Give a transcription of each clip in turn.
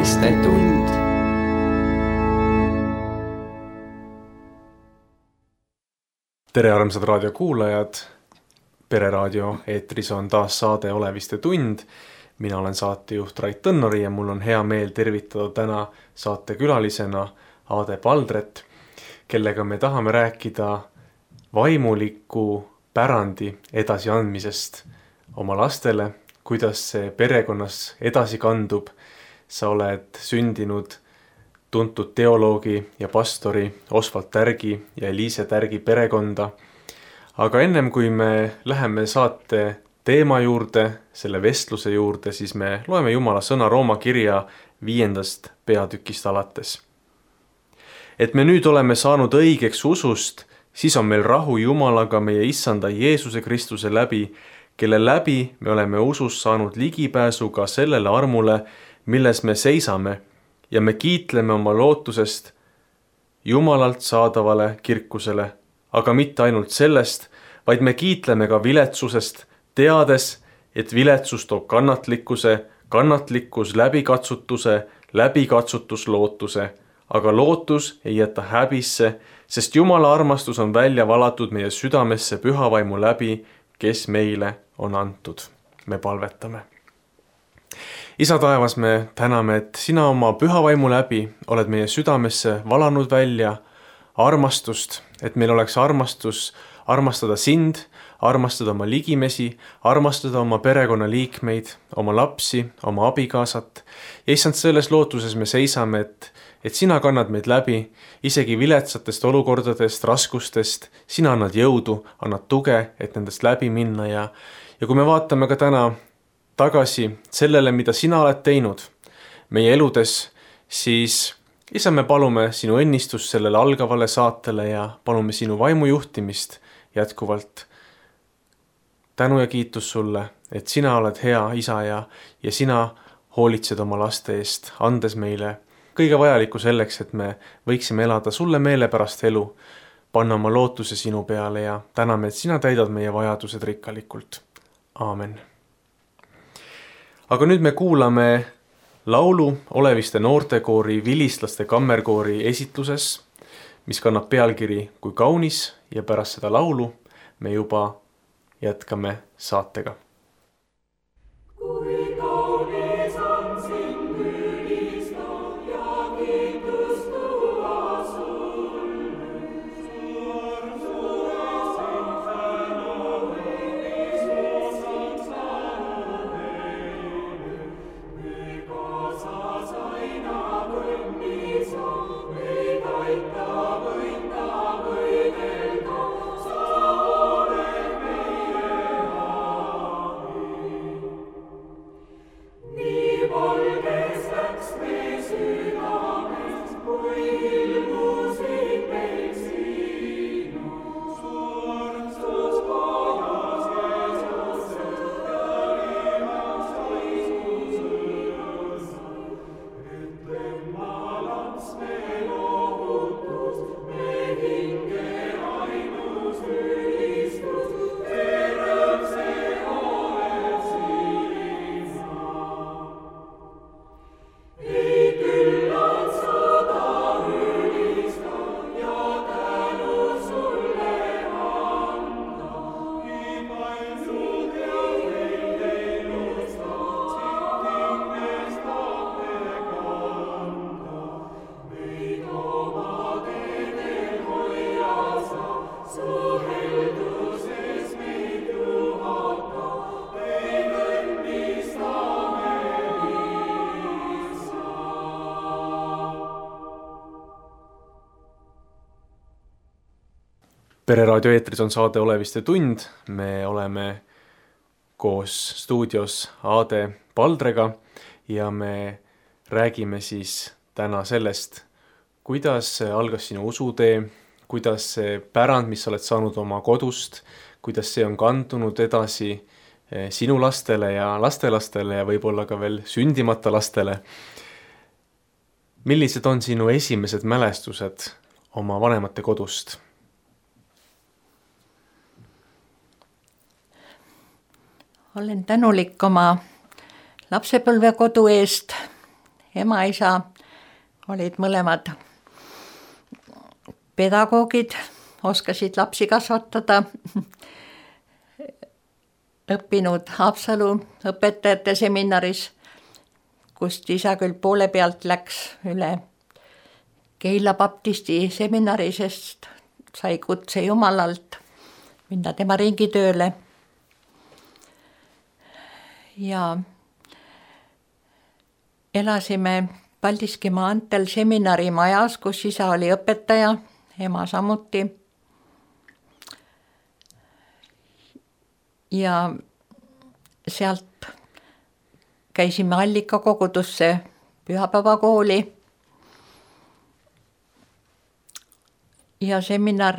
oleviste tund. Tere armsad raadiokuulajad, Pereraadio eetris on taas saade Oleviste tund. Mina olen saatejuht Rait Tõnnori ja mul on hea meel tervitada täna saatekülalisena Aade Paldret, kellega me tahame rääkida vaimuliku pärandi edasiandmisest oma lastele, kuidas see perekonnas edasi kandub. Sa oled sündinud tuntud teoloogi ja pastori Osvald Tärgi ja Eliise Tärgi perekonda. Aga ennem kui me läheme saate teema juurde, selle vestluse juurde, siis me loeme Jumala sõna Rooma kirja 5. peatükist alates. Et me nüüd oleme saanud õigeks usust, siis on meil rahu Jumalaga meie Issanda Jeesuse Kristuse läbi, kelle läbi me oleme usus saanud ligipääsu ka sellele armule, milles me seisame ja me kiitleme oma lootusest Jumalalt saadavale kirkusele, aga mitte ainult sellest, vaid me kiitleme ka viletsusest, teades, et viletsus toob kannatlikkuse, kannatlikkus läbikatsutuse, läbikatsutus lootuse, aga lootus ei jäta häbisse, sest Jumala armastus on välja valatud meie südamesse püha vaimu läbi, kes meile on antud. Me palvetame. Isa taevas, me täname, et sina oma püha vaimu läbi oled meie südamesse valanud välja armastust, et meil oleks armastus armastada sind, armastada oma ligimesi, armastada oma perekonnaliikmeid, oma lapsi, oma abikaasat. Ja issand, selles lootuses me seisame, et sina kannad meid läbi, isegi viletsatest olukordadest, raskustest, sina annad jõudu, annad tuge, et nendest läbi minna ja kui me vaatame ka täna tagasi sellele, mida sina oled teinud meie eludes, siis isa, me palume sinu õnnistust sellele algavale saatele ja palume sinu vaimu juhtimist jätkuvalt. Tänu ja kiitus sulle, et sina oled hea isa ja sina hoolitsed oma laste eest, andes meile kõige vajalikku selleks, et me võiksime elada sulle meelepärast elu, panna oma lootuse sinu peale ja täname, et sina täidad meie vajadused rikkalikult. Aamen. Aga nüüd me kuulame laulu Oleviste noortekoori Vilistlaste kammerkoori esitluses, mis kannab pealkiri Kui kaunis ja pärast seda laulu me juba jätkame saatega. Pereraadio eetris on saade Oleviste tund. Me oleme koos stuudios Aade Paldrega ja me räägime siis täna sellest, kuidas algas sinu usutee, kuidas see pärand, mis sa oled saanud oma kodust, kuidas see on kandunud edasi sinu lastele ja lastelastele ja võib-olla ka veel sündimata lastele. Millised on sinu esimesed mälestused oma vanemate kodust? Olen tänulik oma lapsepõlvekodu eest ema-isa olid mõlemad pedagoogid, oskasid lapsi kasvatada, õppinud Haapsalu õpetajate seminaris, kust isa küll poole pealt läks üle Keila baptisti seminari, sest sai kutse Jumalalt minna tema ringitööle. Ja elasime Paldiski maanteel seminari majas, kus isa oli õpetaja, ema samuti. Ja sealt käisime Allika kogudusse pühapäevakooli. Ja seminar,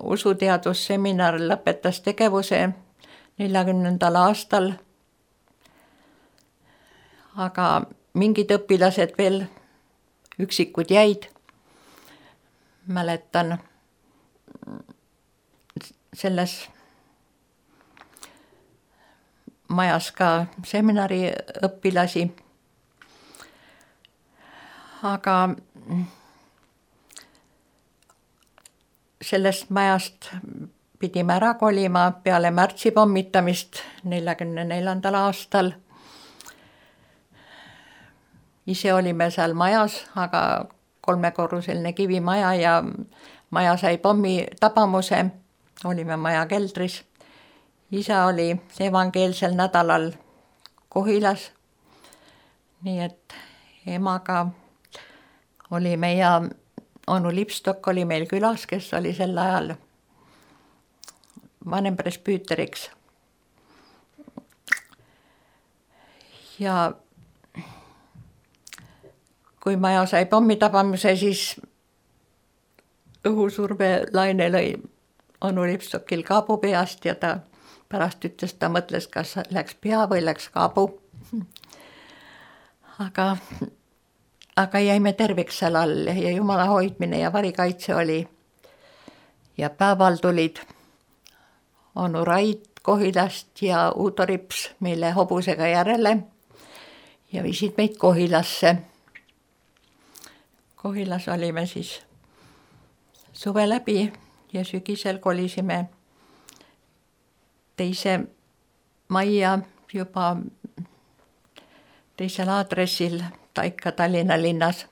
usuteadusseminar lõpetas tegevuse 40. aastal. Aga mingid õpilased veel üksikud jäid. Mäletan selles majas ka seminari õpilasi. Aga sellest majast pidime ära kolima peale märtsi pommitamist 44. aastal. Ise olime seal majas, aga 3-korruseline kivimaja ja maja sai pommi tabamuse. Olime maja keldris. Isa oli evangeelsel nädalal Kohilas. Nii et emaga olime ja onu Lipstok oli meil külas, kes oli sel ajal vanempresbüüteriks. Ja kui maja sai pommitabamuse, siis õhusurve laine lõi onu Lipstokil kaabu peast ja ta pärast ütles, ta mõtles, kas läks pea või läks kaabu. Aga jäime terviks seal all ja Jumala hoidmine ja varikaitse oli. Ja päeval tulid onu Rait Kohilast ja Uudo Rips meile hobusega järele ja viisid meid Kohilasse. Kohilas olime siis suve läbi ja sügisel kolisime teise majja juba teisel aadressil Taika Tallinna linnas,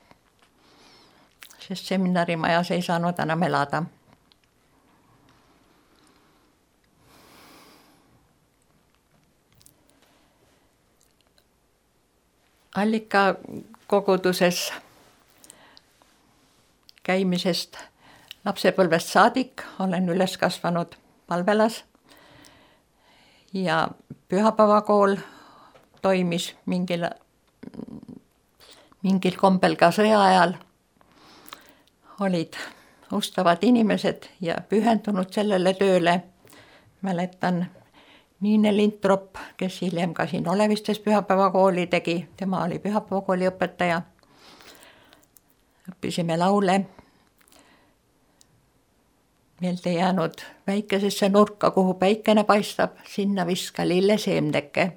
sest seminarimajas ei saanud enam elada. Allika koguduses käimisest lapsepõlvest saadik olen üles kasvanud Palvelas ja pühapäevakool toimis mingil kombel ka sõja ajal. Olid ustavad inimesed ja pühendunud sellele tööle. Mäletan Niine Lintrop, kes hiljem ka siin Olevistes pühapäevakooli tegi, tema oli pühapäevakooli õpetaja. Õppisime laule. Meelde jäänud väikesesse nurka, kuhu päikene paistab, sinna viska lilleseemneke.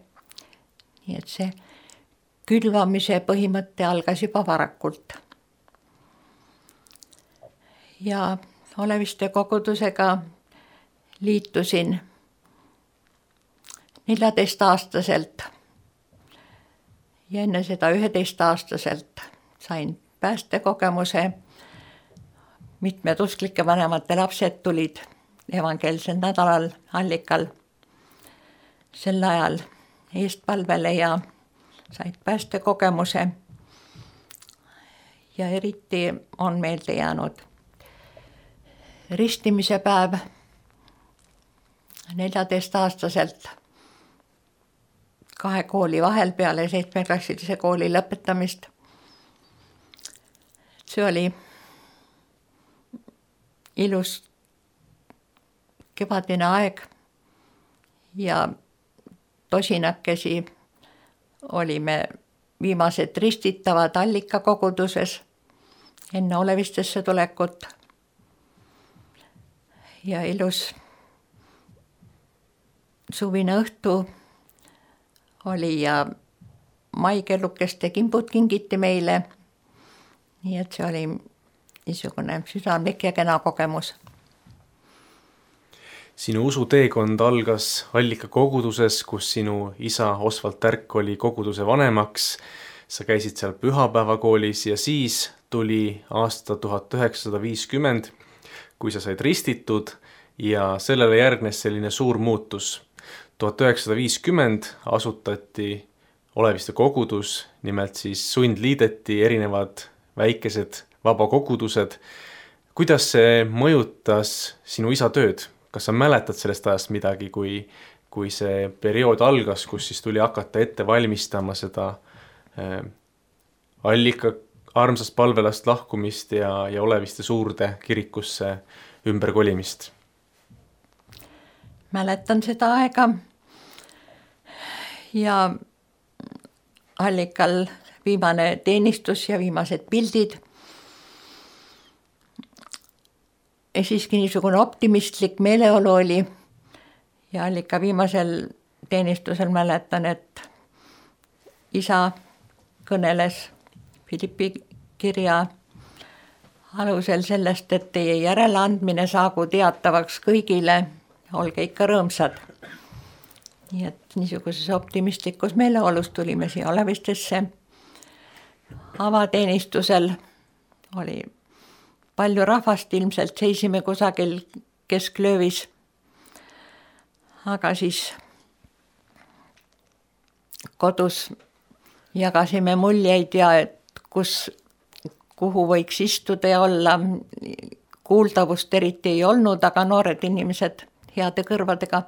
Nii et see külvamise põhimõte algas juba varakult. Ja Oleviste kogudusega liitusin 14-aastaselt ja enne seda 11-aastaselt sain päästekogemuse. Mitmed usklike vanemate lapsed tulid evangeelsel nädalal Allikal sel ajal eestpalvele ja said päästekogemuse. Ja eriti on meelde jäänud ristimise päev 14-aastaselt 2 kooli vahel peale 7-klassilise kooli lõpetamist. See oli ilus kevadine aeg ja tosinakesi olime viimased ristitavad Allika koguduses enne Olevistesse tulekut. Ja ilus suvine õhtu oli ja maikellukeste kimbud kingiti meile. Nii et see oli niisugune südamlik ja kena kogemus. Sinu usuteekond algas Allika koguduses, kus sinu isa Osvald Tärk oli koguduse vanemaks. Sa käisid seal pühapäevakoolis ja siis tuli aasta 1950, kui sa said ristitud ja sellele järgnes selline suur muutus. 1950 asutati Oleviste kogudus, nimelt siis sundliideti erinevad väikesed vabakogudused. Kuidas see mõjutas sinu isa tööd? Kas sa mäletad sellest ajast midagi, kui see periood algas, kus siis tuli hakata ette valmistama seda Allika armsast palvelast lahkumist ja Oleviste suurde kirikusse ümberkolimist? Mäletan seda aega ja Allikal viimane teenistus ja viimased pildid. Ja siiski niisugune optimistlik meeleolu oli ja Allika viimasel teenistusel mäletan, et isa kõneles Philippi kirja alusel sellest, et teie järeleandmine saagu teatavaks kõigile, olge ikka rõõmsad. Nii et niisuguses optimistlikus meeleolus tulime siia Olevistesse. Avateenistusel oli palju rahvast, ilmselt seisime kusagil kesklöövis, aga siis kodus jagasime muljeid ja kuhu võiks istuda ja olla. Kuuldavust eriti ei olnud, aga noored inimesed heade kõrvadega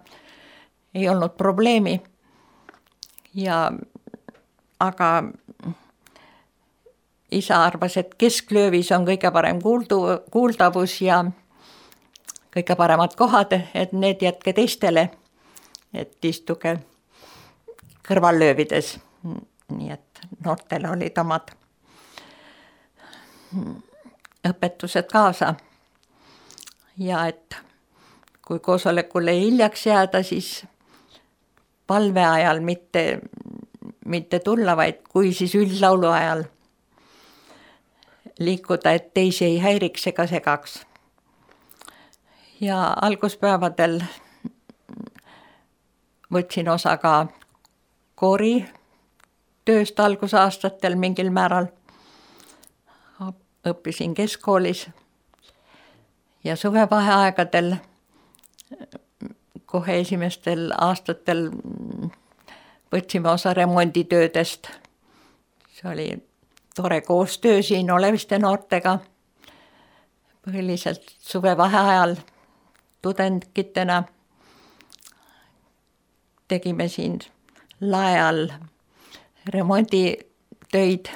ei olnud probleemi. Aga isa arvas, et kesklöövis on kõige parem kuuldavus ja kõige paremad kohad, et need jätke teistele, et istuge kõrvallöövides. Nii et noortele olid omad õpetused kaasa. Ja et kui koosolekule hiljaks jääda, siis palve ajal mitte tulla, vaid kui siis üldlaulu ajal liikuda, et teisi ei häiriks ega segaks. Ja alguspäevadel võtsin osa ka koori tööst algusaastatel mingil määral. Õppisin keskkoolis ja suvevaheaegadel kohe esimestel aastatel võtsime osa remonditöödest. See oli tore koostöö siin Oleviste noortega. Põhiliselt suvevaheajal tudengitena tegime siin lae all remonditöid,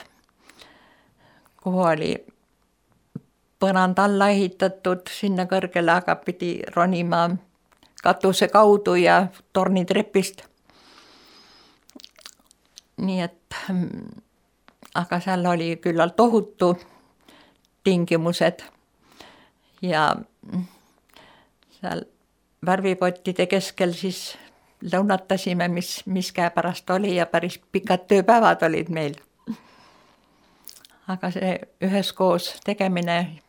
kuhu oli põrand alla ehitatud sinna kõrgele, aga pidi ronima katuse kaudu ja tornitrepist. Nii et, aga seal oli küllalt ohutu tingimused ja seal värvipottide keskel siis lõunatasime, mis käepärast oli ja päris pikad tööpäevad olid meil. Aga see üheskoos tegemine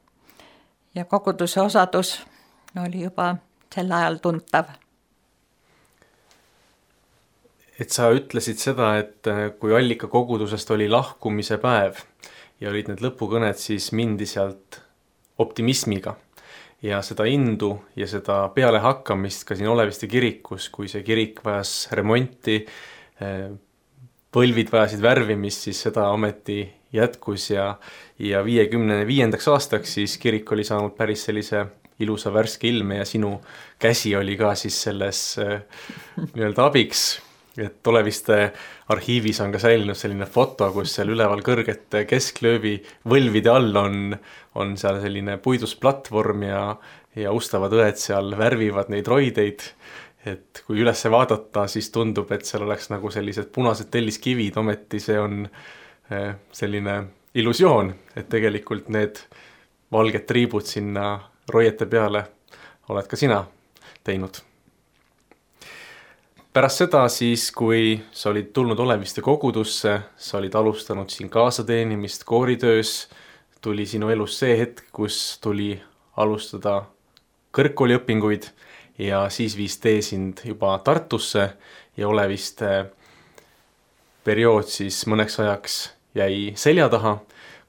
ja koguduse osadus oli juba sel ajal tuntav. Et sa ütlesid seda, et kui Allika kogudusest oli lahkumise päev ja olid need lõpukõned, siis mindi sealt optimismiga. Ja seda indu ja seda pealehakkamist ka siin Oleviste kirikus, kui see kirik vajas remonti, võlvid vajasid värvimist, siis seda ometi jätkus ja 55. aastaks siis kirik oli saanud päris sellise ilusa värske ilme ja sinu käsi oli ka siis selles nii-öelda abiks. Et Oleviste arhiivis on ka säilinud selline foto, kus seal üleval kõrgete kesklöövi võlvide all on seal selline puidust platvorm ja ustavad õed seal värvivad neid roideid. Et kui üles vaadata, siis tundub, et seal oleks nagu sellised punased telliskivid, ometi see on selline illusioon, et tegelikult need valged triibud sinna roiete peale oled ka sina teinud. pärast seda siis, kui sa olid tulnud Oleviste kogudusse, sa olid alustanud siin kaasateenimist kooritöös, tuli sinu elus see hetk, kus tuli alustada kõrgkooliõpinguid ja siis viis tee sind juba Tartusse ja Oleviste periood siis mõneks ajaks jäi selja taha.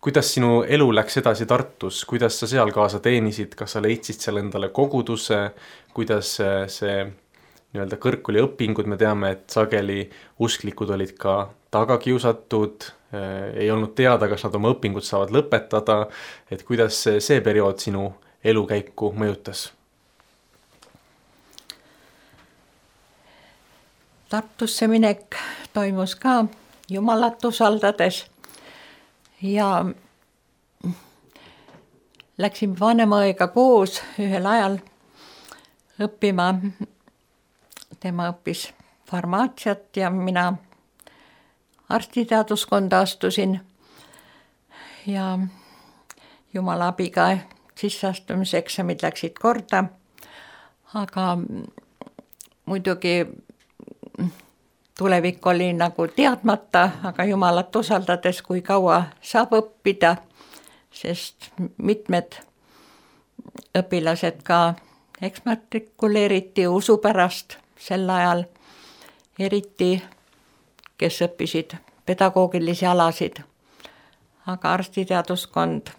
Kuidas sinu elu läks edasi Tartus, kuidas sa seal kaasa teenisid, kas sa leidsid seal endale koguduse, kuidas see nii-öelda kõrgkooliõpingud, me teame, et sageli usklikud olid ka tagakiusatud, ei olnud teada, kas nad oma õpingud saavad lõpetada, et kuidas see periood sinu elukäiku mõjutas? Tartusse minek toimus ka Jumalat usaldades ja läksime vanemaõiga koos ühel ajal õppima. Tema õppis farmaatsiat ja mina arstiteaduskonda astusin ja Jumala abiga sisseastumiseksamid läksid korda, aga muidugi tulevik oli nagu teadmata, aga Jumalat usaldades, kui kaua saab õppida, sest mitmed õpilased ka eksmatrikuleeriti usu pärast sel ajal, eriti kes õppisid pedagoogilisi alasid. Aga arstiteaduskond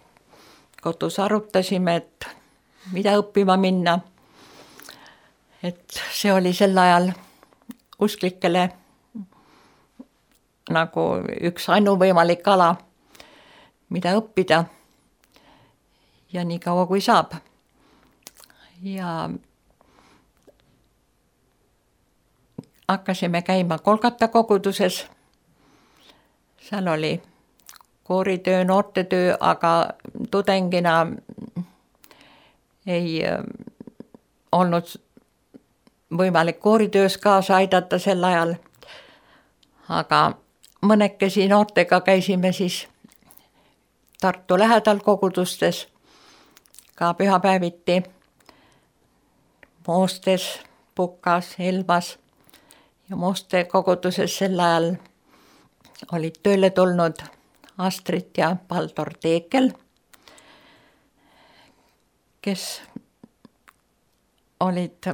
kodus arutasime, et mida õppima minna. Et see oli sel ajal usklikele nagu üks ainuvõimalik ala, mida õppida ja nii kaua kui saab. Ja hakkasime käima Kolgata koguduses. Seal oli kooritöö, noortetöö, aga tudengina ei olnud võimalik kooritöös kaasa aidata sel ajal. Aga mõnekesi noortega käisime siis Tartu lähedal kogudustes, ka pühapäeviti, Moostes, Pukas, Elvas ja Mooste koguduses sel ajal olid tööle tulnud Astrid ja Baldur Teekel, kes olid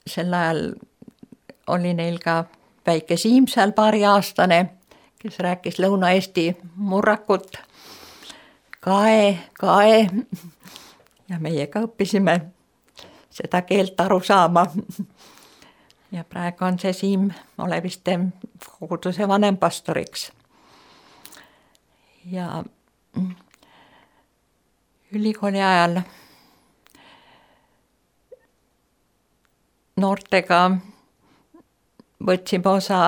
sel ajal oli neil ka väike Siim seal paariaastane, kes rääkis Lõuna-Eesti murrakut, kae ja meiega õppisime seda keelt aru saama. Ja praegu on see Siim Oleviste koguduse vanempastoriks. Ja ülikooli ajal noortega võtsime osa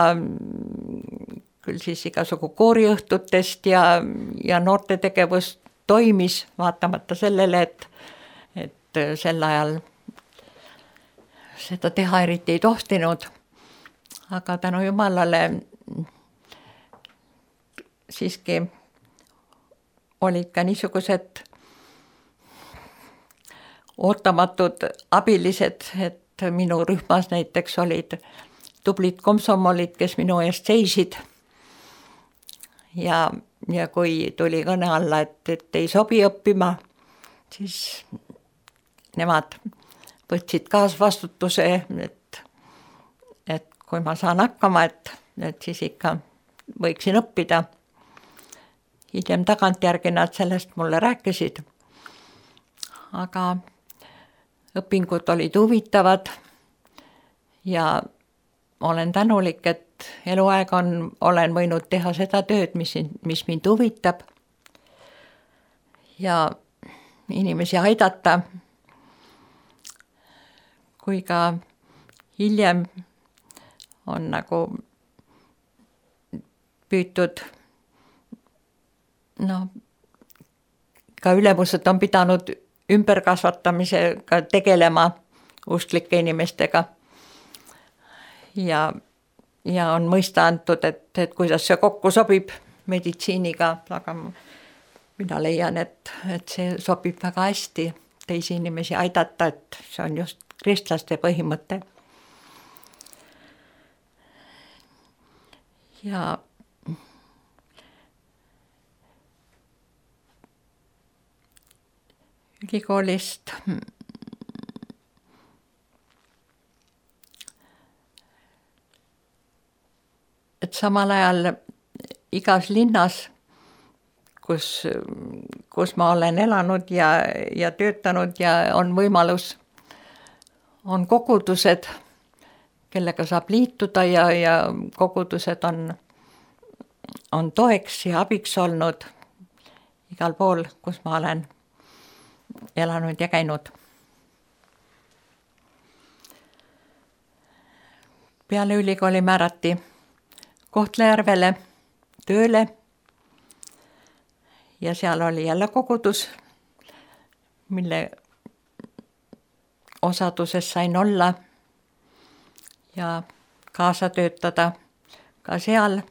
küll siis igasugu kooriõhtutest ja noortetegevus toimis, vaatamata sellele, et sel ajal seda teha eriti ei tohtinud. Aga tänu Jumalale siiski olid ka niisugused ootamatud abilised, et minu rühmas näiteks olid tublid komsomolid, kes minu eest seisid. Ja kui tuli kõne alla, et ei sobi õppima, siis nemad võtsid kaasvastutuse, et kui ma saan hakkama, et siis ikka võiksin õppida. Hiljem tagantjärgi nad sellest mulle rääkisid. Aga õpingud olid huvitavad ja olen tänulik, et eluaeg olen võinud teha seda tööd, mis mind huvitab ja inimesi aidata. Kui ka hiljem on nagu püütud, ka ülemused on pidanud ümberkasvatamisega tegelema usklike inimestega. Ja on mõista antud, et kuidas see kokku sobib meditsiiniga, aga mina leian, et see sobib väga hästi teisi inimesi aidata, et see on just kristlaste põhimõte. Ja ülikoolist et samal ajal igas linnas, kus ma olen elanud ja töötanud ja on võimalus, on kogudused, kellega saab liituda ja kogudused on toeks ja abiks olnud igal pool, kus ma olen elanud ja käinud. Peale ülikooli määrati Kohtla-Järvele tööle ja seal oli jälle kogudus, mille osaduses sain olla ja kaasa töötada ka seal,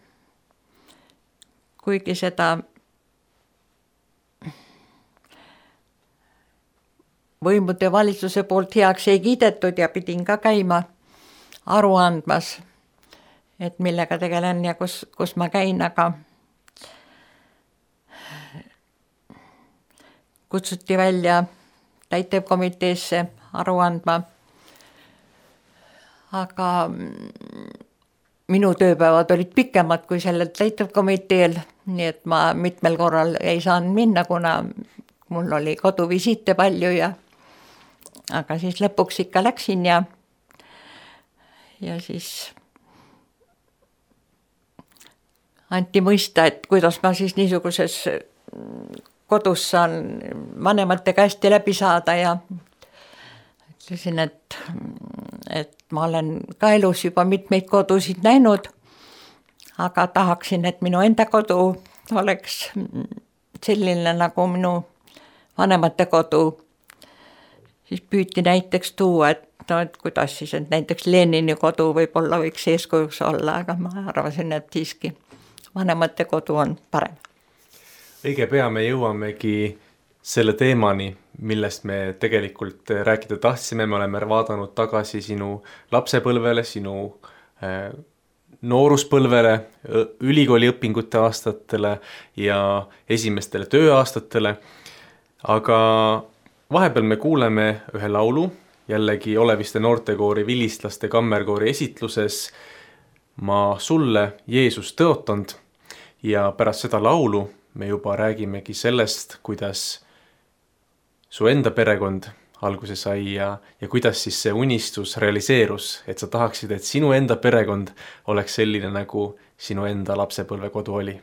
kuigi seda võimude valitsuse poolt heaks ei kiidetud ja pidin ka käima aru andmas, et millega tegelen ja kus ma käin, aga kutsuti välja täitevkomiteesse aru andma. Aga minu tööpäevad olid pikemad kui sellel täitevkomiteel, nii et ma mitmel korral ei saanud minna, kuna mul oli koduvisiite palju aga siis lõpuks ikka läksin ja siis anti mõista, et kuidas ma siis niisuguses kodus saan vanemate käest läbi saada ja ütlesin, et ma olen ka elus juba mitmeid kodusid näinud, aga tahaksin, et minu enda kodu oleks selline nagu minu vanemate kodu. Siis püüti näiteks tuua, et kuidas siis, et näiteks Lenini kodu võib-olla võiks eeskujuks olla, aga ma arvasin, et siiski vanemate kodu on parem. Õige pea me jõuamegi selle teemani, millest me tegelikult rääkida tahtsime. Me oleme vaadanud tagasi sinu lapsepõlvele, sinu nooruspõlvele, ülikooliõpingute aastatele ja esimestele tööaastatele. Aga vahepeal me kuuleme ühe laulu, jällegi Oleviste noortekoori Vilistlaste kammerkoori esitluses Ma sulle Jeesus tõotanud ja pärast seda laulu me juba räägimegi sellest, kuidas su enda perekond alguse sai ja kuidas siis see unistus realiseerus, et sa tahaksid, et sinu enda perekond oleks selline, nagu sinu enda lapsepõlvekodu oli.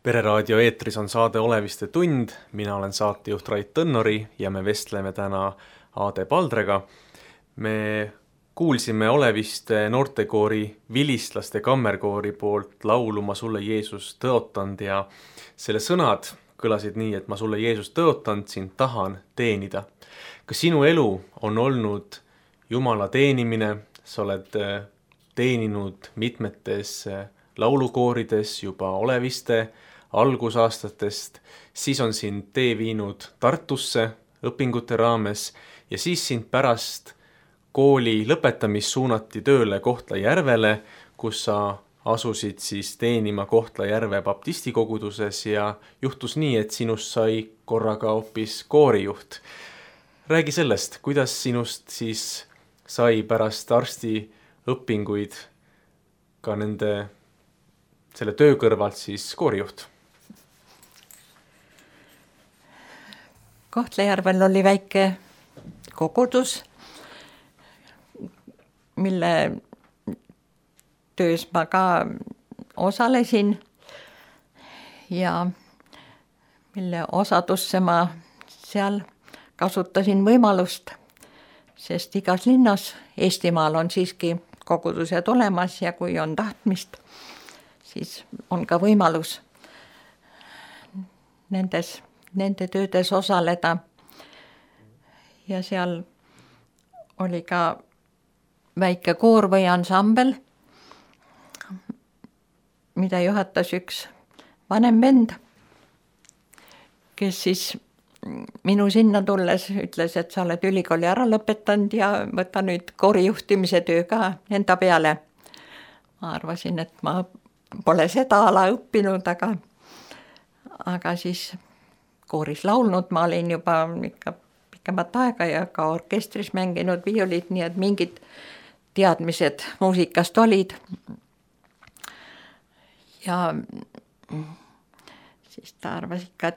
pereraadio eetris on saade Oleviste tund, mina olen saatejuht Rait Tõnnori ja me vestleme täna Aade Paldrega. Me kuulsime Oleviste noortekoori Vilistlaste kammerkoori poolt laulu Ma sulle Jeesus tõotanud ja selle sõnad kõlasid nii, et ma sulle Jeesus tõotanud, sind tahan teenida. Kas sinu elu on olnud Jumala teenimine, sa oled teeninud mitmetes laulukoorides juba Oleviste algusaastatest, siis on sind tee viinud Tartusse õpingute raames ja siis sind pärast kooli lõpetamist suunati tööle Kohtla-Järvele, kus sa asusid siis teenima Kohtla-Järve baptistikoguduses ja juhtus nii, et sinust sai korraga hoopis koorijuht. Räägi sellest, kuidas sinust siis sai pärast arstiõpinguid ka selle töö kõrvalt siis koorijuht? Kohtla-Järvel oli väike kogudus, mille töös ma ka osalesin ja mille osadusse ma seal kasutasin võimalust, sest igas linnas Eestimaal on siiski kogudused olemas ja kui on tahtmist, siis on ka võimalus nende töödes osaleda. Ja seal oli ka väike koor või ansambel, mida juhatas üks vanem vend, kes siis minu sinna tulles ütles, et sa oled ülikooli ära lõpetanud ja võta nüüd koorijuhtimise töö ka enda peale. Ma arvasin, et ma pole seda ala õppinud, aga siis kooris laulnud, ma olin juba ikka pikemat aega ja ka orkestris mänginud viiulit, nii et mingid teadmised muusikast olid. Ja siis ta arvas ikka,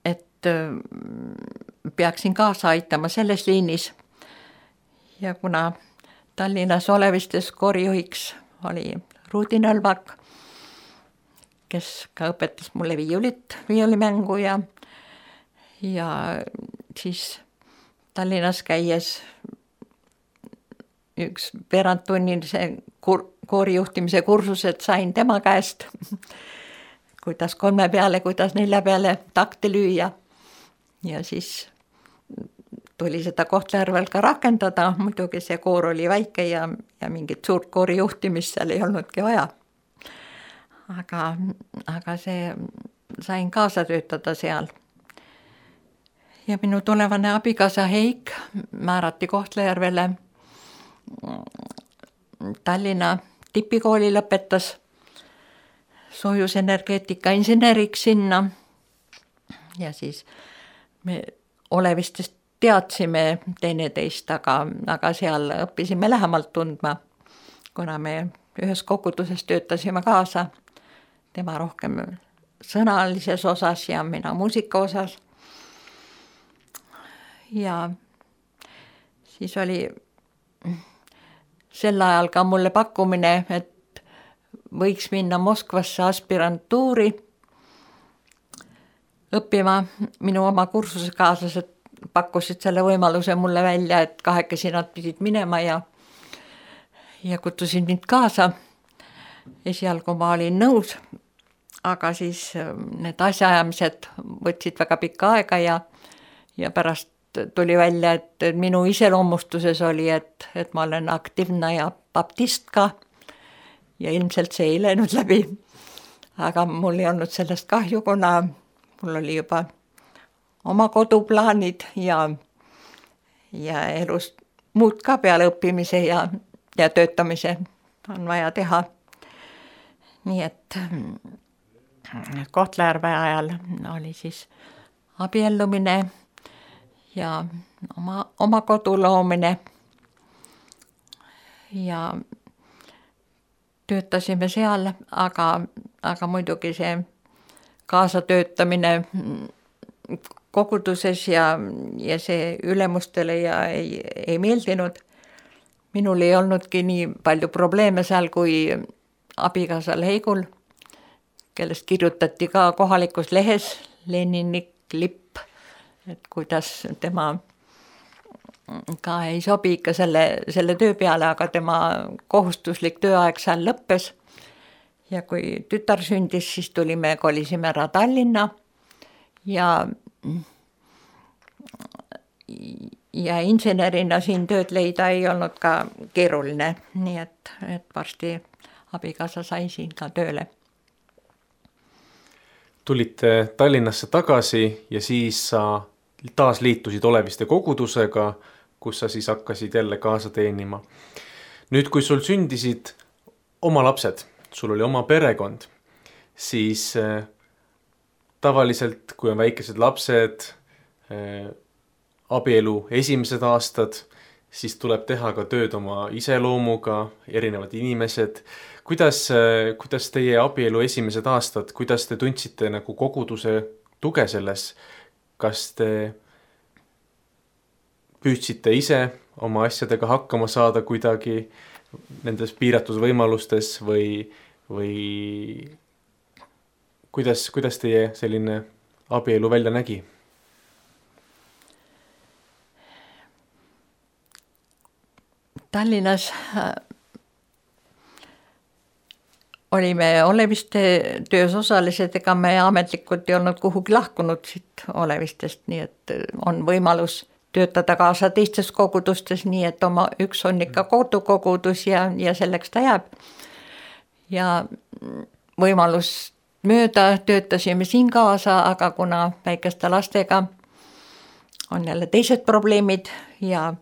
et peaksin kaasa aitama selles liinis. Ja kuna Tallinnas Olevistes koorijuhiks oli Ruudi Nõlvak, kes ka õpetas mulle viiulimängu ja siis Tallinnas käies üks veerandtunnise koorijuhtimise kursused sain tema käest, kuidas 3 peale, kuidas 4 peale takte lüüa. Ja siis tuli seda Kohtla-Järvel ka rakendada, muidugi see koor oli väike ja mingit suurt koorijuhtimist seal ei olnudki vaja. Aga see sain kaasa töötada seal. Ja minu tulevane abikaasa Heik määrati Kohtla-Järvele. Tallinna tipikooli lõpetas soojusenergeetika inseneriks sinna. Ja siis me Olevistest teadsime teineteist, aga seal õppisime lähemalt tundma, kuna me ühes koguduses töötasime kaasa. Tema rohkem sõnalises osas ja mina muusika osas. Ja siis oli sel ajal ka mulle pakkumine, et võiks minna Moskvasse aspirantuuri õppima. Minu oma kursusekaaslased pakkusid selle võimaluse mulle välja, et 2 nad pidid minema ja kutsusin mind kaasa. Esialgu ma olin nõus, aga siis need asjaajamised võtsid väga pikka aega ja pärast tuli välja, et minu iseloomustuses oli, et ma olen aktiivne ja baptist ka ja ilmselt see ei läinud läbi. Aga mul ei olnud sellest kahju, kuna mul oli juba oma koduplaanid ja elus muud ka peale õppimise ja töötamise on vaja teha. Nii et Kohtla-Järve ajal oli siis abiellumine ja oma kodu loomine ja töötasime seal, aga muidugi see kaasatöötamine koguduses ja see ülemustele ja ei meeldinud. minul ei olnudki nii palju probleeme seal kui abikaasal Heigul, kellest kirjutati ka kohalikus lehes Lenini lipp, et kuidas tema ka ei sobi ikka selle töö peale, aga tema kohustuslik tööaeg seal lõppes. Ja kui tütar sündis, siis kolisime ära Tallinna ja insenerina siin tööd leida ei olnud ka keeruline, nii et varsti abikaasa sai siin ka tööle. Tulite Tallinnasse tagasi ja siis sa taas liitusid Oleviste kogudusega, kus sa siis hakkasid jälle kaasa teenima. Nüüd, kui sul sündisid oma lapsed, sul oli oma perekond, siis tavaliselt, kui on väikesed lapsed, abielu esimesed aastad, siis tuleb teha ka tööd oma iseloomuga, erinevad inimesed. Kuidas teie abielu esimesed aastad, kuidas te tundsite nagu koguduse tuge selles? Kas te püüdsite ise oma asjadega hakkama saada kuidagi nendes piiratud võimalustes või kuidas teie selline abielu välja nägi? Tallinnas olime Oleviste töös osalised, ega me ametlikult ei olnud kuhugi lahkunud siit Olevistest, nii et on võimalus töötada kaasa teistes kogudustes, nii et üks on ikka kodukogudus ja selleks ta jääb. Ja võimalus mööda töötasime siin kaasa, aga kuna väikeste lastega on jälle teised probleemid ja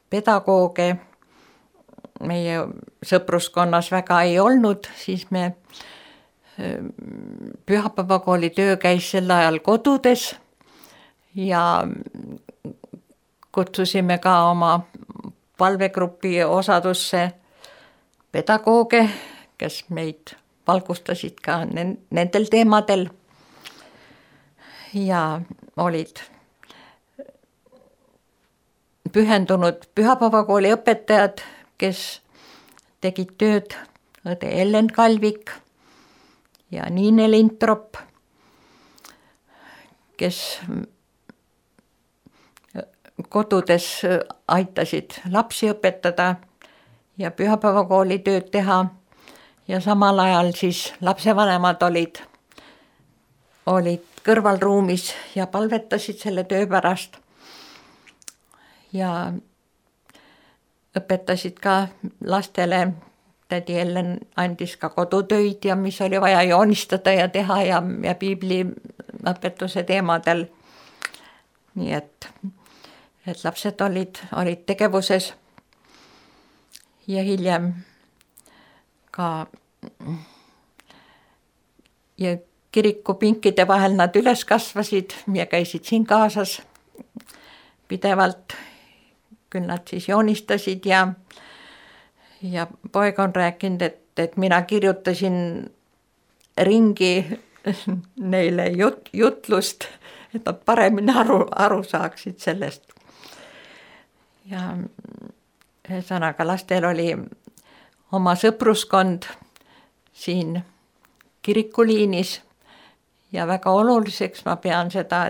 pedagooge meie sõpruskonnas väga ei olnud, siis me pühapäevakooli töö käis sel ajal kodudes ja kutsusime ka oma palvegrupi osadusse pedagooge, kes meid valgustasid ka nendel teemadel ja olid pühendunud pühapäevakooli õpetajad, kes tegid tööd õde Ellen Kalvik ja Niine Lintrop, kes kodudes aitasid lapsi õpetada ja pühapäevakooli tööd teha ja samal ajal siis lapsevanemad olid kõrvalruumis ja palvetasid selle töö pärast ja õpetasid ka lastele. Tädi Ellen andis ka kodutöid ja mis oli vaja joonistada ja teha ja piibli õpetuse teemadel. Nii et lapsed olid tegevuses ja hiljem ka ja kirikupinkide vahel nad üles kasvasid ja käisid siin kaasas pidevalt. Küll nad siis joonistasid ja poeg on rääkinud, et mina kirjutasin ringi neile jutlust, et nad paremini aru saaksid sellest. Ja ühesõnaga lastel oli oma sõpruskond siin kirikuliinis ja väga oluliseks ma pean seda,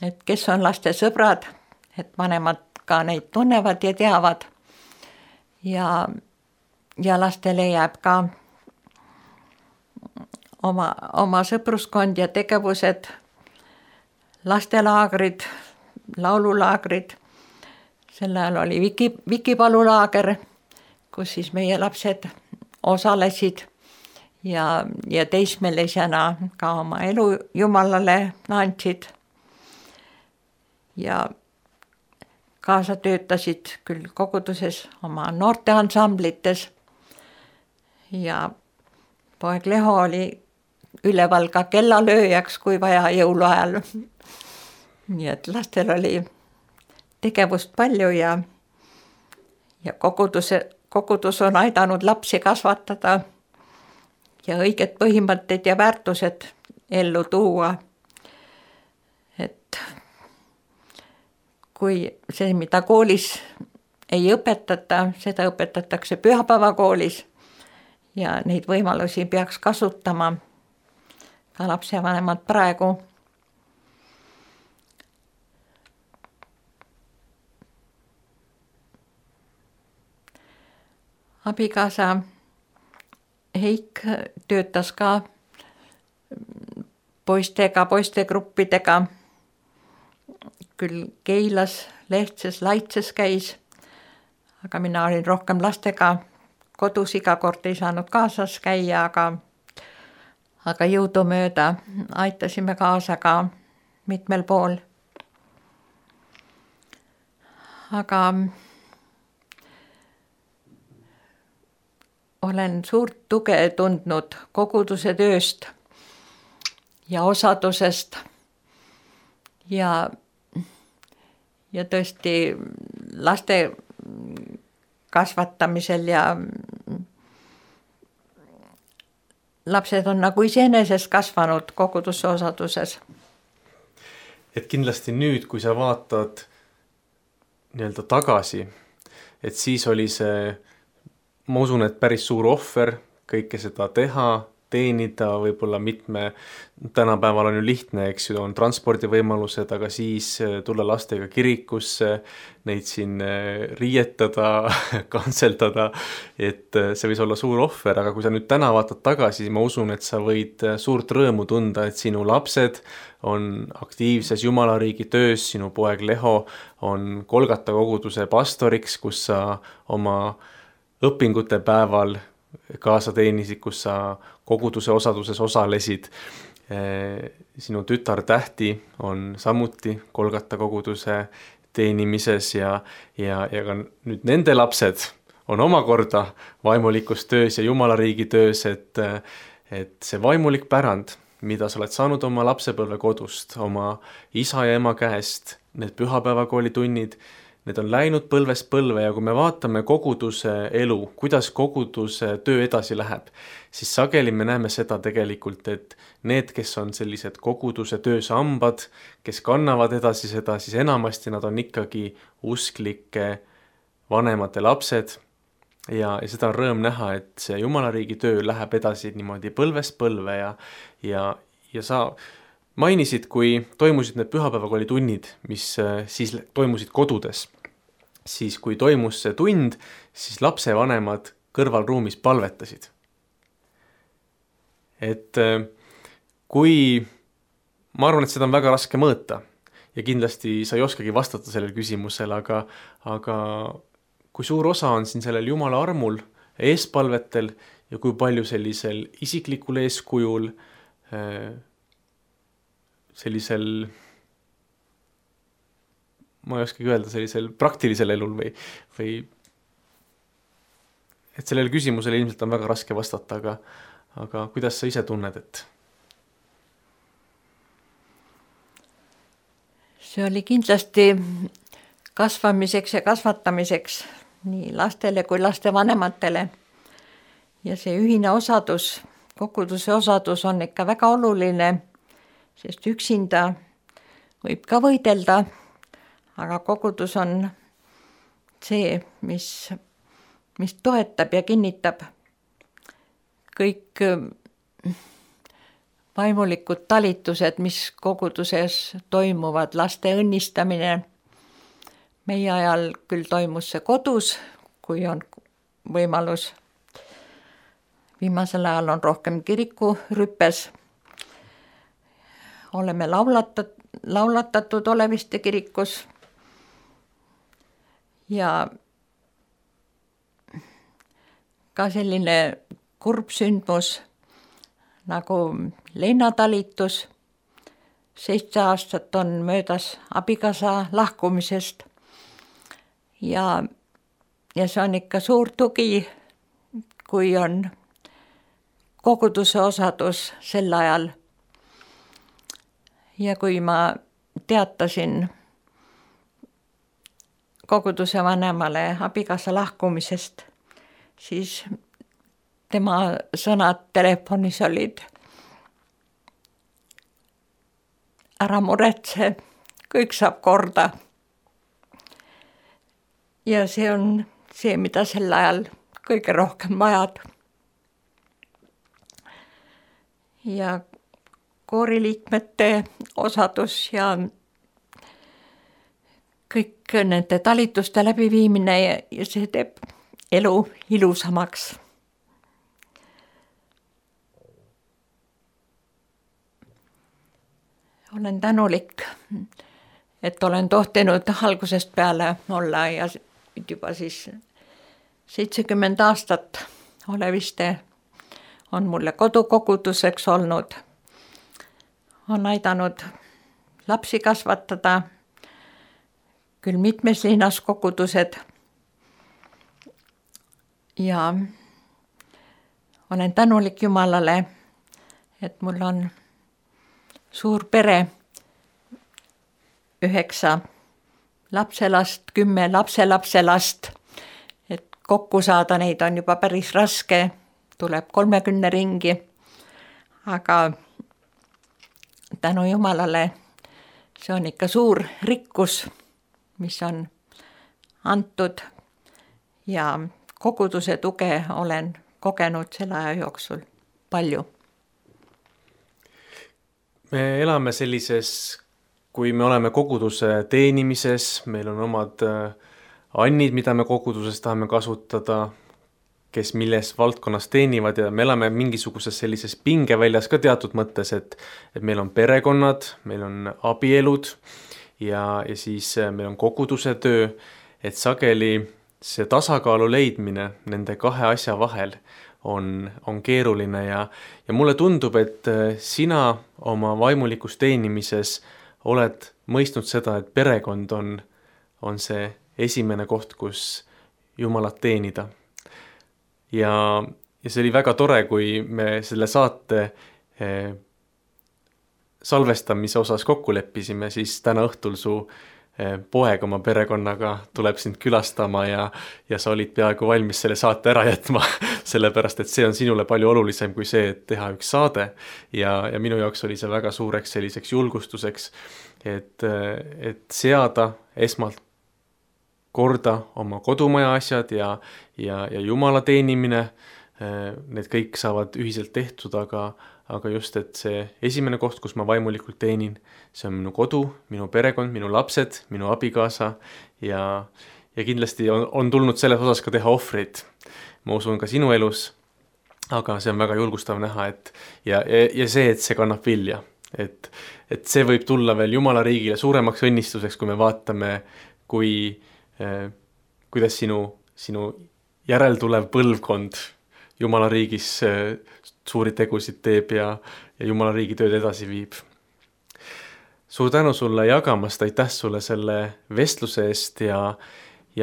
et kes on laste sõbrad, et vanemad ka neid tunnevad ja teavad ja lastele jääb ka oma sõpruskond ja tegevused, lastelaagrid, laululaagrid. Sel ajal oli Vikipalulaager, kus siis meie lapsed osalesid ja teismelisena ka oma elu Jumalale andsid ja kaasa töötasid küll koguduses oma noorteansamblites ja poeg Leho oli üleval ka kellalööjaks, kui vaja jõuluajal. Nii et lastel oli tegevust palju ja kogudus on aidanud lapsi kasvatada ja õiged põhimõtted ja väärtused ellu tuua. Et kui see, mida koolis ei õpetata, seda õpetatakse pühapäevakoolis ja neid võimalusi peaks kasutama ka lapsevanemad praegu. Abikaasa Heik töötas ka poistegruppidega, küll Keilas, Lehtses, Laitses käis, aga mina olin rohkem lastega kodus, iga kord ei saanud kaasas käia, aga jõudumööda aitasime kaasa ka mitmel pool. Aga olen suurt tuge tundnud koguduse tööst ja osadusest ja tõesti laste kasvatamisel ja lapsed on nagu iseenesest kasvanud koguduse osaduses. Et kindlasti nüüd, kui sa vaatad nii-öelda tagasi, et siis oli see, ma usun, et päris suur ohver kõike seda teha, teenida, võib-olla tänapäeval on ju lihtne, eks ju, on transpordivõimalused, aga siis tulla lastega kirikusse, neid siin riietada, kantseldada, et see võis olla suur ohver, aga kui sa nüüd täna vaatad tagasi, siis ma usun, et sa võid suurt rõõmu tunda, et sinu lapsed on aktiivses Jumalariigi töös, sinu poeg Leho on Kolgata koguduse pastoriks, kus sa oma õpingute päeval kaasa teenisid, kus sa koguduse osaduses osalesid. Sinu tütar Tähti on samuti Kolgata koguduse teenimises ja ka nüüd nende lapsed on omakorda vaimulikus töös ja Jumalariigi töös, et see vaimulik pärand, mida sa oled saanud oma lapsepõlve kodust, oma isa ja ema käest, need pühapäevakooli tunnid, need on läinud põlvest põlve ja kui me vaatame koguduse elu, kuidas koguduse töö edasi läheb, siis sageli me näeme seda tegelikult, et need, kes on sellised koguduse töösambad, kes kannavad edasi seda, siis enamasti nad on ikkagi usklike vanemate lapsed ja seda on rõõm näha, et see Jumalariigi töö läheb edasi niimoodi põlvest põlve ja sa mainisid, kui toimusid need pühapäevakooli tunnid, mis siis toimusid kodudes, siis kui toimus see tund, siis lapsevanemad kõrvalruumis palvetasid. Et kui, ma arvan, et seda on väga raske mõõta ja kindlasti sa ei oskagi vastata sellele küsimusele, aga kui suur osa on siin sellel Jumala armul, eespalvetel ja kui palju sellisel isiklikul eeskujul, sellisel, ma ei oskagi öelda, sellisel praktilisel elul või et sellele küsimusele ilmselt on väga raske vastata, aga kuidas sa ise tunned, et? See oli kindlasti kasvamiseks ja kasvatamiseks nii lastele kui lastevanematele ja see ühine osadus, koguduse osadus on ikka väga oluline, sest üksinda võib ka võidelda, aga kogudus on see, mis toetab ja kinnitab kõik vaimulikud talitused, mis koguduses toimuvad, laste õnnistamine. Meie ajal küll toimus see kodus, kui on võimalus. Viimasel ajal on rohkem kirikurüppes. Oleme laulatatud Oleviste kirikus ja ka selline kurb sündmus nagu leinatalitus. 7 aastat on möödas abikaasa lahkumisest ja see on ikka suur tugi, kui on koguduse osadus sel ajal. Ja kui ma teatasin koguduse vanemale abikaasa lahkumisest, siis tema sõnad telefonis olid: ära muretse, kõik saab korda. ja see on see, mida sel ajal kõige rohkem vajad. Ja kooriliikmete osadus ja kõik nende talituste läbiviimine ja see teeb elu ilusamaks. Olen tänulik, et olen tohtinud algusest peale olla ja juba siis 70 aastat Oleviste on mulle kodukoguduseks olnud. On aidanud lapsi kasvatada, küll mitmes linnas kogudused. Ja olen tänulik Jumalale, et mul on suur pere, 9 lapselast, 10 lapselapselast, et kokku saada neid on juba päris raske, tuleb 30 ringi, aga tänu Jumalale see on ikka suur rikkus, mis on antud ja koguduse tuge olen kogenud selle aja jooksul palju. Me elame sellises, kui me oleme koguduse teenimises, meil on omad annid, mida me koguduses tahame kasutada, kes milles valdkonnas teenivad ja me elame mingisuguses sellises pingeväljas ka teatud mõttes, et meil on perekonnad, meil on abielud ja siis meil on koguduse töö, et sageli see tasakaalu leidmine nende kahe asja vahel on keeruline ja mulle tundub, et sina oma vaimulikus teenimises oled mõistnud seda, et perekond on see esimene koht, kus Jumalat teenida. Ja see oli väga tore, kui me selle saate salvestamise osas kokku leppisime, siis täna õhtul su poeg oma perekonnaga tuleb sind külastama ja sa olid peaaegu valmis selle saate ära jätma, sellepärast et see on sinule palju olulisem kui see, et teha üks saade ja minu jaoks oli see väga suureks selliseks julgustuseks, et seada esmalt korda oma kodumaja asjad ja Jumala teenimine, need kõik saavad ühiselt tehtud, aga just, et see esimene koht, kus ma vaimulikult teenin, see on minu kodu, minu perekond, minu lapsed, minu abikaasa ja kindlasti on tulnud selles osas ka teha ohvreid. Ma usun ka sinu elus, aga see on väga julgustav näha, ja see, et see kannab vilja, et see võib tulla veel Jumala riigile suuremaks õnnistuseks, kui me vaatame, kuidas sinu järeltulev põlvkond Jumala riigis suuri tegusid teeb ja Jumala riigi tööd edasi viib. Suur tänu sulle jagamast, aitäh sulle selle vestluse eest ja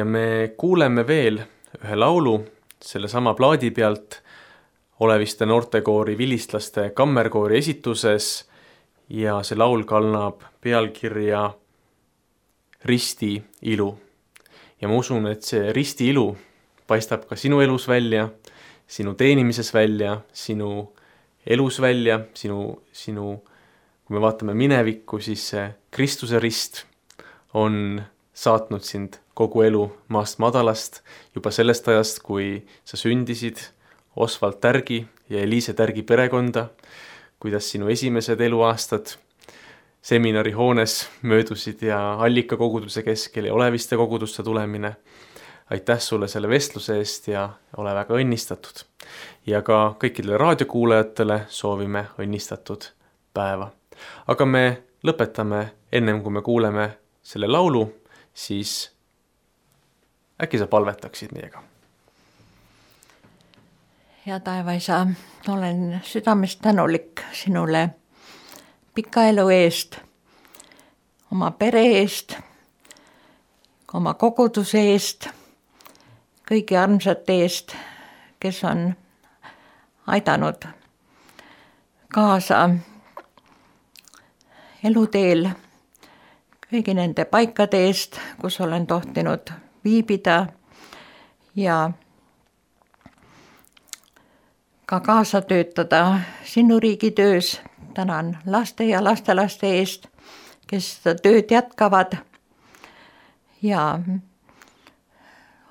me kuuleme veel ühe laulu selle sama plaadi pealt Oleviste noortekoori Vilistlaste kammerkoori esituses ja see laul kannab pealkirja Risti ilu. Ja ma usun, et see risti ilu paistab ka sinu elus välja, sinu teenimises välja, sinu elus välja, kui me vaatame minevikku, siis see Kristuse rist on saatnud sind kogu elu maast madalast, juba sellest ajast, kui sa sündisid Osvald Tärgi ja Eliise Tärgi perekonda, kuidas sinu esimesed eluaastad seminarihoones möödusid ja Allika koguduse keskel ja Oleviste kogudusse tulemine. Aitäh sulle selle vestluse eest ja ole väga õnnistatud. Ja ka kõikidele raadiokuulajatele soovime õnnistatud päeva. Aga me lõpetame ennem, kui me kuuleme selle laulu, siis äkki sa palvetaksid meiega? Hea taevaisa, olen südamest tänulik sinule pika elu eest, oma pere eest, oma koguduse eest, kõigi armsate eest, kes on aidanud kaasa eluteel, kõigi nende paikade eest, kus olen tohtinud viibida ja ka kaasa töötada sinu riigi töös. Tänan laste ja lastelaste eest, kes seda tööd jätkavad ja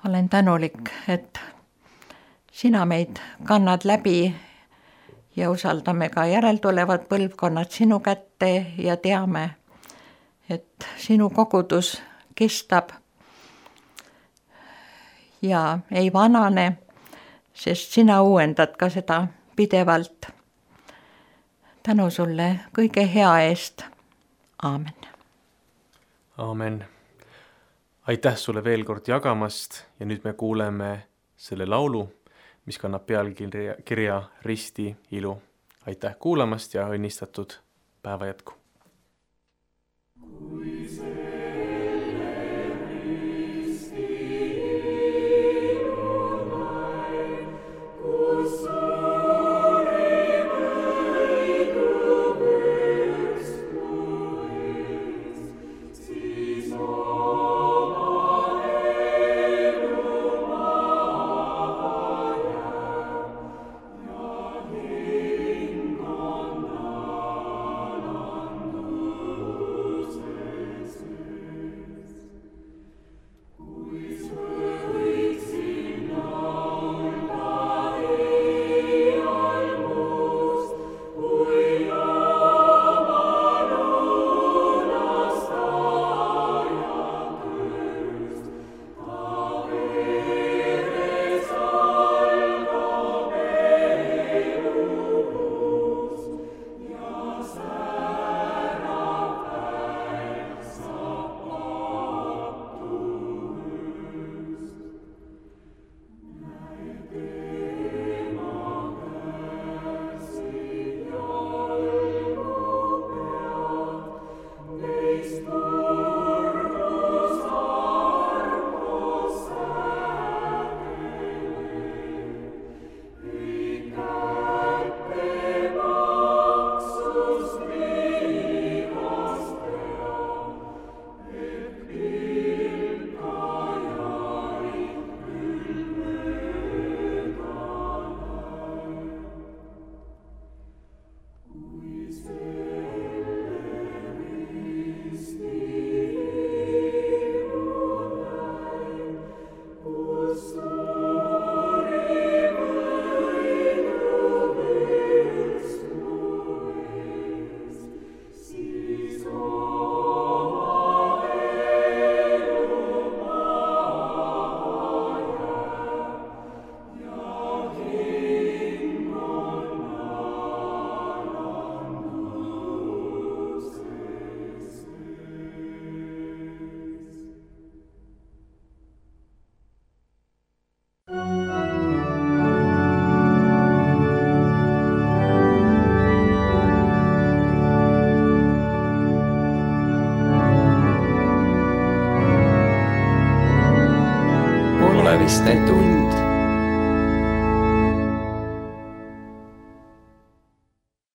olen tänulik, et sina meid kannad läbi ja usaldame ka järeltulevad põlvkonnad sinu kätte ja teame, et sinu kogudus kestab ja ei vanane, sest sina uuendad ka seda pidevalt. Tänu sulle kõige hea eest. Aamen. Aamen. Aitäh sulle veel kord jagamast ja nüüd me kuuleme selle laulu, mis kannab pealkirja Risti ilu. Aitäh kuulamast ja õnnistatud päeva jätku. Oleviste tund.